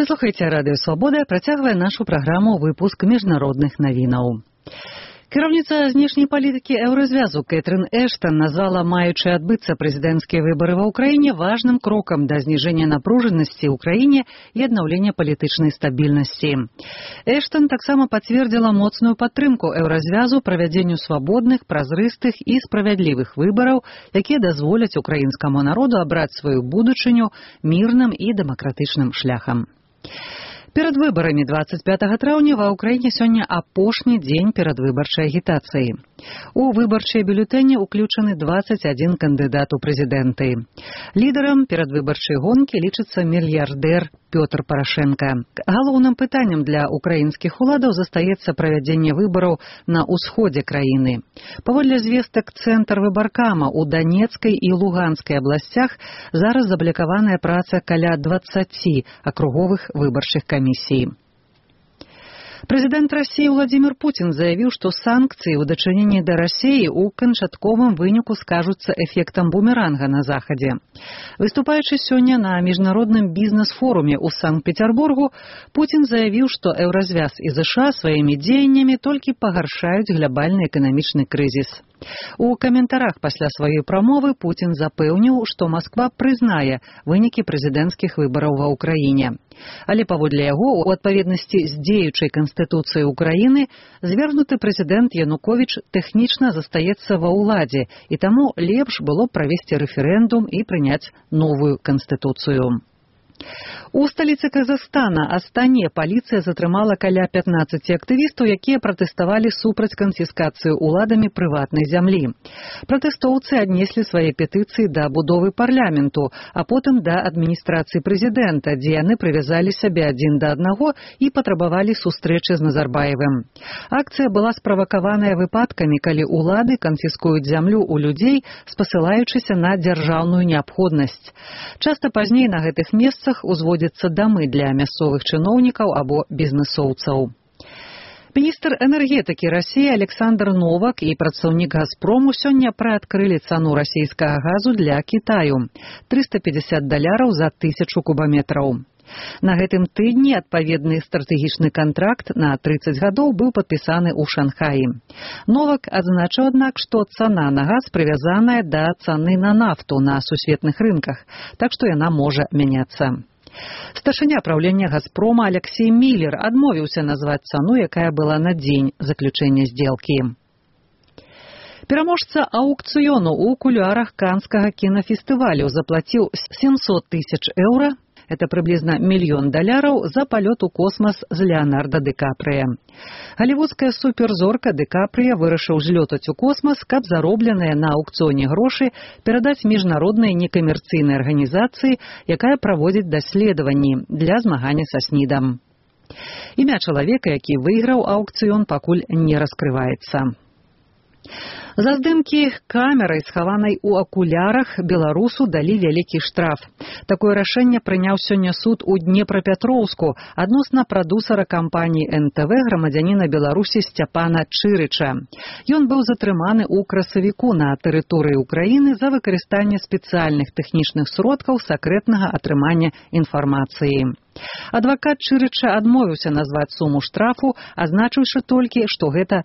Вы слухаеце Радыё Свабода, працягвае нашу праграму выпуск міжнародных навінаў. Кіраўніца знешняй палітыкі Еўразвязу Кэтрин Эштон назвала маючыя адбыцца прэзідэнцкія выбары ва ўкраіне важным крокам да зніжэння напружанасці ў краіне і аднаўлення палітычнай стабільнасці. Эштон таксама пацвердзіла моцную падтрымку Еўразвязу правядзенню свабодных, празрыстых і справядлівых выбараў, якія дазволяць украінскаму народу абраць сваю будучыню мірным і дэмакратычным шляхам. Перад выбарамі 25 траўня ва ўкраіне сёння апошні дзень перадвыбарчай агітацыі. У выбарчыя бюлетэні ўключаны 21 кандыдат у прэзідэнты. Лідарам перадвыбарчай гонкі лічыцца мільярдэр Пётр Парашенка. Галоўным пытаннем для украінскіх уладаў застаецца правядзенне выбараў на ўсходзе краіны. Паводле звестак цэнтр выбаркама ў Данецкай і Луганскай абласцях зараз заблокаваная праца каля 20 акруговых выбарчых камісій. Прэзідэнт Расіі Владзімір Пуцін заявіў, што санкцыі ў дачыненні да Расіі ў канчатковым выніку скажуцца эфектам бумеранга на Захадзе. Выступаючы сёння на міжнародным бізнес-форуме ў Санкт-Петербургу, Пуцін заявіў, што Еўразвяз і ЗША сваімі дзеяннямі толькі пагаршаюць глябальны эканамічны крызіс. У каментарах пасля сваёй прамовы Пуцін запэўніў, што Масква прызнае вынікі прэзідэнцкіх выбараў ва ўкраіне. Але паводле яго, у адпаведнасці з дзеючай канстытуцыяй Украіны, звергнуты прэзідэнт Януковіч тэхнічна застаецца ва ўладзе, і таму лепш было правесці рэферэндум і прыняць новую канстытуцыю. У сталіцы Казахстана Астане паліцыя затрымала каля 15 актывістаў, якія пратэставалі супраць канфіскацыі ўладамі прыватнай зямлі. Пратэстоўцы аднеслі свае петыцыі да будовы парламенту, а потым да адміністрацыі прэзідэнта, дзе яны прывязалі сябе адзін да аднаго і патрабавалі сустрэчы з Назарбаевым. Акцыя была справакаваная выпадкамі, калі ўлады канфіскуюць зямлю ў людзей, спасылаючыся на дзяржаўную неабходнасць. Часта пазней на гэтых месцах узводзяцца дамы для мясцовых чыноўнікаў або бізнэсоўцаў. Міністр энергетыкі Расіі Александр Новак і прадстаўнік «Газпрому» сёння прыадкрылі цану расійскага газу для Кітаю – $350 за 1000 кубаметраў. На гэтым тыдні адпаведны стратэгічны кантракт на 30 гадоў быў падпісаны ў Шанхаі. Новак адзначыў, аднак, што цана на газ прывязаная да цаны на нафту на сусветных рынках, так што яна можа мяняцца. Старшыня праўлення «Газпрома» Алексей Міллер адмовіўся назваць цану, якая была на дзень заключэння здзелкі. Пераможца аўкцыёну ў кулуарах Канскага кінафестывалю заплаціў €700 000, это прыблізна $1 мільён, за палёт у космас з Леонардо Ді Капрыя. Галівудская суперзорка Ді Капрыя вырашыў злётаць у космас, каб заробленыя на аўкцыёне грошы перадаць міжнароднай некамерцыйнай арганізацыі, якая праводзіць даследаванні для змагання са СНІДам. Імя чалавека, які выйграў аўкцыён, пакуль не раскрываецца. За здымкі камерай, схаванай у акулярах, беларусу далі вялікі штраф. Такое рашэнне прыняў сёння суд у Днепрапетроўску адносна прадусара кампаніі НТВ грамадзяніна Беларусі Сцяпана Чырыча. Ён быў затрыманы ў красавіку на тэрыторыі Украіны за выкарыстанне спецыяльных тэхнічных сродкаў сакрэтнага атрымання інфармацыі. Адвакат Чырыча адмовіўся назваць суму штрафу, азначыўшы толькі, што гэта